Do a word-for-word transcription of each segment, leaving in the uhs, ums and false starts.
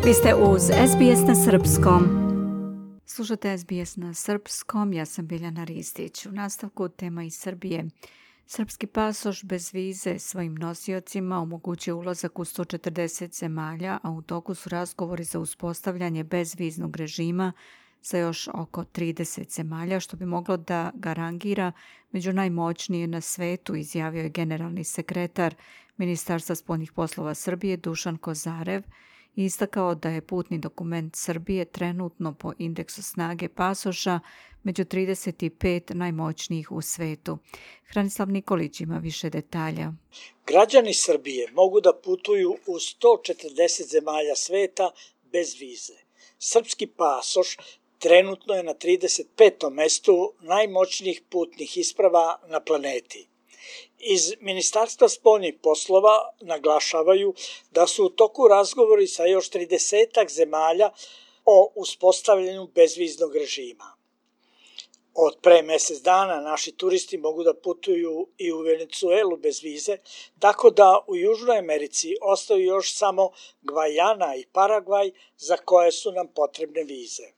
Vi ste uz S B S na srpskom. Slušate S B S na srpskom, ja sam Biljana Ristić. U nastavku tema iz Srbije. Srpski pasoš bez vize svojim nosiocima omogućuje ulazak u sto četrdeset zemalja, a u toku su razgovori za uspostavljanje bezviznog režima sa još oko trideset zemalja, što bi moglo da ga rangira među najmoćnije na svetu, izjavio je generalni sekretar Ministarstva spoljnih poslova Srbije Dušan Kozarev i istakao da je putni dokument Srbije trenutno po indeksu snage pasoša među trideset pet najmoćnijih u svetu. Hranislav Nikolić ima više detalja. Građani Srbije mogu da putuju u sto četrdeset zemalja sveta bez vize. Srpski pasoš trenutno je na trideset petom mestu najmoćnijih putnih isprava na planeti. Iz Ministarstva spoljnih poslova naglašavaju da su u toku razgovori sa još tridesetak zemalja o uspostavljanju bezviznog režima. Od pre mesec dana naši turisti mogu da putuju i u Venecuelu bez vize, tako da u Južnoj Americi ostaju još samo Gvajana i Paragvaj za koje su nam potrebne vize.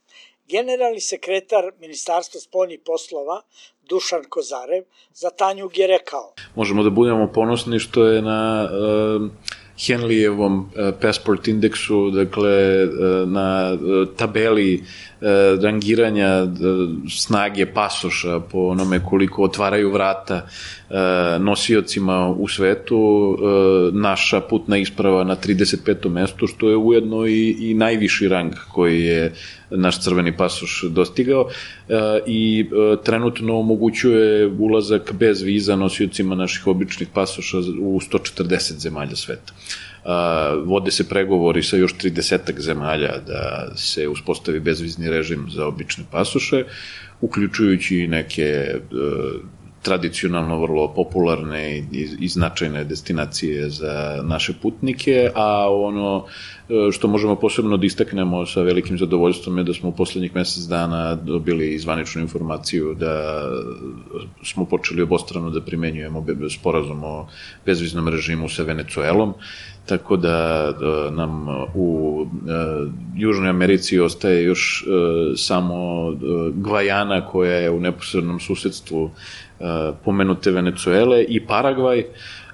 Generalni sekretar Ministarstva spoljnih poslova Dušan Kozarev za Tanjug je rekao: Možemo da budemo ponosni što je na uh, Henleyevom uh, passport indeksu, dakle uh, na uh, tabeli uh, rangiranja uh, snage pasoša po onome koliko otvaraju vrata uh, nosiocima u svetu, uh, naša putna isprava na trideset petom mestu, što je ujedno i, i najviši rang koji je naš crveni pasoš dostigao uh, i uh, trenutno omogućuje ulazak bez viza nosiocima naših običnih pasoša u sto četrdeset zemalja sveta. Uh, vode se pregovori sa još tridesetak zemalja da se uspostavi bezvizni režim za obične pasoše, uključujući i neke uh, tradicionalno vrlo popularne i, i značajne destinacije za naše putnike, a ono što možemo posebno da istaknemo sa velikim zadovoljstvom je da smo u poslednjih mesec dana dobili zvaničnu informaciju da smo počeli obostrano da primenjujemo sporazum o bezviznom režimu sa Venecuelom, tako da, da nam u e, Južnoj Americi ostaje još e, samo e, Gvajana koja je u neposrednom susedstvu e, pomenute Venecuele i Paragvaj.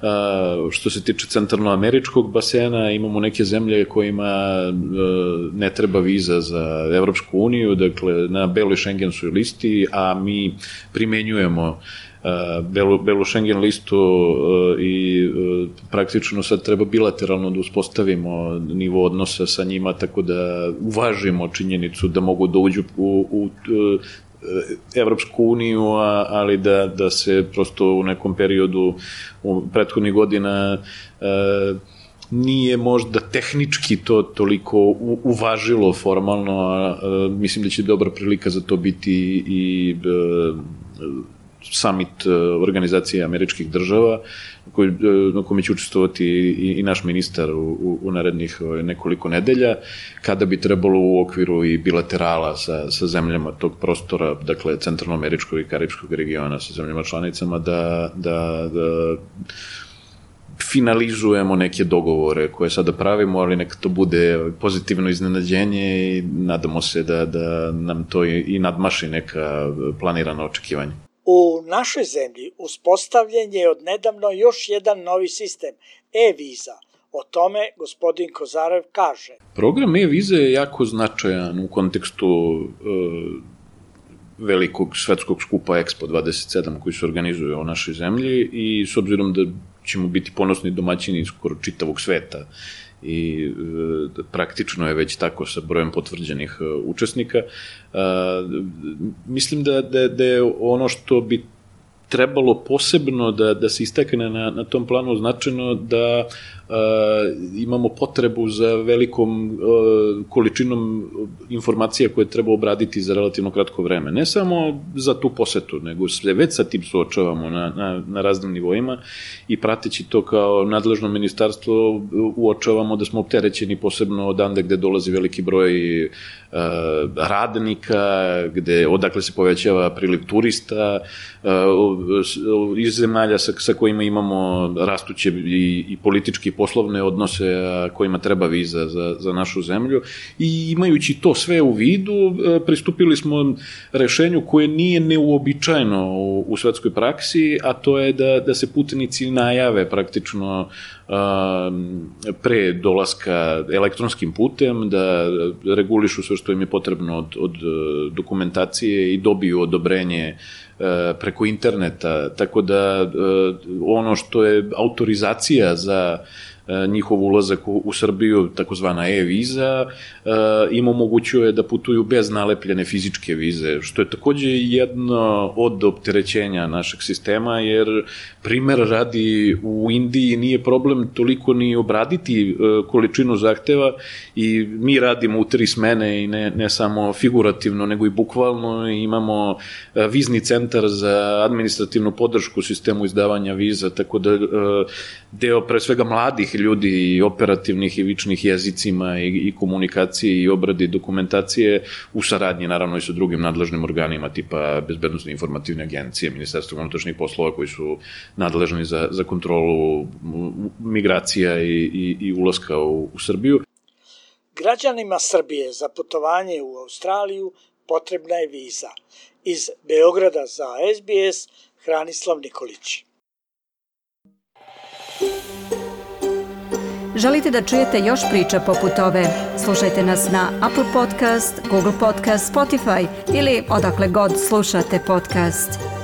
Uh, što se tiče centralnoameričkog basena, imamo neke zemlje kojima uh, ne treba viza za Evropsku uniju, dakle na beloj šengenskoj listi, a mi primenjujemo uh, belu, belu šengen listu uh, i uh, praktično sad treba bilateralno da uspostavimo nivo odnosa sa njima, tako da uvažimo činjenicu da mogu da uđu u, u uh, Evropsku uniju, ali da, da se prosto u nekom periodu u prethodnih godina e, nije možda tehnički to toliko uvažilo formalno, a, a mislim da će dobra prilika za to biti i e, summit Organizacije američkih država koji, na kome će učestvovati i, i naš ministar u, u, u narednih nekoliko nedelja, kada bi trebalo u okviru i bilaterala sa, sa zemljama tog prostora, dakle centralnoameričkog i karipskog regiona, sa zemljama članicama, da, da, da finalizujemo neke dogovore koje sada pravimo, ali neka to bude pozitivno iznenađenje i nadamo se da, da nam to i, i nadmaši neka planirana očekivanja. U našoj zemlji uspostavljen je odnedavno još jedan novi sistem, e-viza. O tome gospodin Kozarev kaže: Program e-vize je jako značajan u kontekstu e, velikog svetskog skupa Expo dvadeset sedam koji se organizuje u našoj zemlji i s obzirom da ćemo biti ponosni domaćini skoro čitavog sveta i e, praktično je već tako sa brojem potvrđenih e, učesnika. E, mislim da, da, da je ono što bi trebalo posebno da, da se istakne na, na tom planu značajno da uh, imamo potrebu za velikom uh, količinom informacija koje treba obraditi za relativno kratko vreme. Ne samo za tu posetu, nego se već sa tim suočavamo na, na, na raznim nivoima i prateći to kao nadležno ministarstvo uočavamo da smo opterećeni posebno odande gde dolazi veliki broj uh, radnika, gde, odakle se povećava priliv turista, uh, iz zemalja sa, sa kojima imamo rastuće i, i politički i poslovne odnose, a kojima treba viza za, za našu zemlju. I imajući to sve u vidu, pristupili smo rešenju koje nije neuobičajeno u, u svetskoj praksi, a to je da, da se putnici najave praktično pre dolaska elektronskim putem, da regulišu sve što im je potrebno od, od dokumentacije i dobiju odobrenje preko interneta, tako da ono što je autorizacija za njihov ulazak u, u Srbiju, takozvana e-viza, im omogućuje da putuju bez nalepljene fizičke vize, što je takođe jedno od opterećenja našeg sistema, jer primer radi u Indiji nije problem toliko ni obraditi količinu zahteva i mi radimo u tri smene i ne, ne samo figurativno, nego i bukvalno. Imamo vizni centar za administrativnu podršku sistemu izdavanja viza, tako da deo pre svega mladih ljudi i operativnih i vičnih jezicima i, i komunikaciji i obradi dokumentacije u saradnji naravno i sa drugim nadležnim organima tipa Bezbednosne informativne agencije, Ministarstva unutrašnjih poslova koji su nadležni za, za kontrolu migracija i, i, i ulaska u, u Srbiju. Građanima Srbije za putovanje u Australiju potrebna je viza. Iz Beograda za S B S, Hranislav Nikolić. Želite da čujete još priča poput ove? Slušajte nas na Apple Podcast, Google Podcast, Spotify ili odakle god slušate podcast.